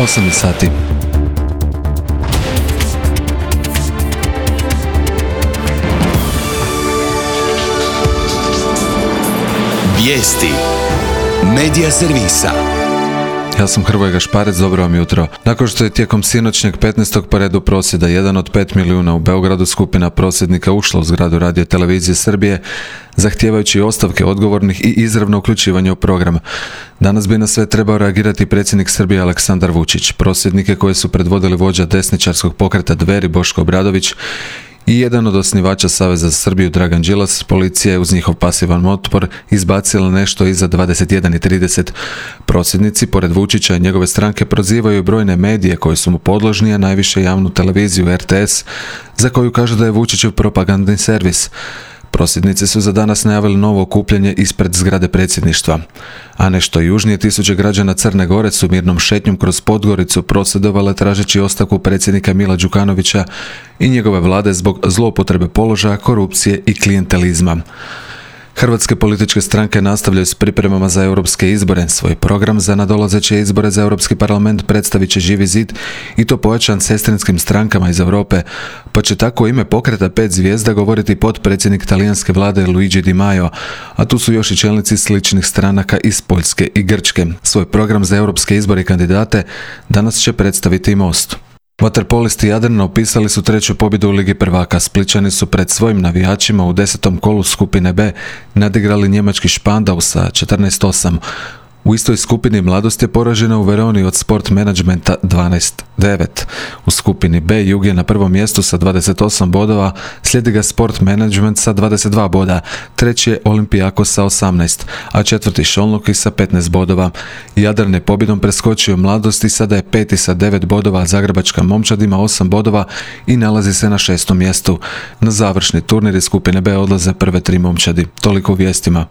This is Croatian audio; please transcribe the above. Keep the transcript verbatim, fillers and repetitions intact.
osam sati. Vijesti Medija servisa. Ja sam Hrvoje Gašparec, dobro vam jutro. Nakon što je tijekom sinoćnjeg petnaestog po redu prosvjeda jedan od pet milijuna u Beogradu skupina prosvjednika ušla u zgradu Radio televizije Srbije, zahtijevajući ostavke odgovornih i izravno uključivanje u program. Danas bi na sve trebao reagirati predsjednik Srbije Aleksandar Vučić. Prosvjednike koje su predvodili vođa desničarskog pokreta Dveri Boško Obradović i jedan od osnivača Saveza za Srbiju Dragan Đilas, policija je uz njihov pasivan otpor izbacila nešto iza dvadeset jedan i trideset. Prosvjednici, pored Vučića i njegove stranke, prozivaju brojne medije koji su mu podložni, a najviše javnu televiziju R T S, za koju kažu da je Vučićev propagandni servis. Prosvjednici su za danas najavili novo okupljanje ispred zgrade predsjedništva. A nešto južnije tisuće građana Crne Gore su mirnom šetnjom kroz Podgoricu prosvjedovale tražeći ostavku predsjednika Mila Đukanovića i njegove vlade zbog zloupotrebe položaja, korupcije i klijentelizma. Hrvatske političke stranke nastavljaju s pripremama za europske izbore. Svoj program za nadolazeće izbore za Europski parlament predstavit će Živi zid i to pojačan sestrinskim strankama iz Europe, pa će tako ime pokreta pet zvijezda govoriti potpredsjednik talijanske vlade Luigi Di Maio, a tu su još i čelnici sličnih stranaka iz Poljske i Grčke. Svoj program za europske izbore i kandidate danas će predstaviti i Most. Vaterpolisti Jadrana upisali su treću pobjedu u Ligi prvaka. Splićani su pred svojim navijačima u desetom kolu skupine B nadigrali njemački Špandau sa četrnaest osam. U istoj skupini Mladost je poražena u Veroni od Sport Managementa dvanaest devet. U skupini B Jug je na prvom mjestu sa dvadeset osam bodova, slijedi ga Sport Management sa dvadeset dva boda, treći je Olympiakos sa osamnaest, a četvrti Šolnoki sa petnaest bodova. Jadran je pobjedom preskočio Mladost i sada je peti sa devet bodova, a Zagrebačka Momčad ima osam bodova i nalazi se na šestom mjestu. Na završni turnir iz skupine B odlaze prve tri momčadi. Toliko u vijestima.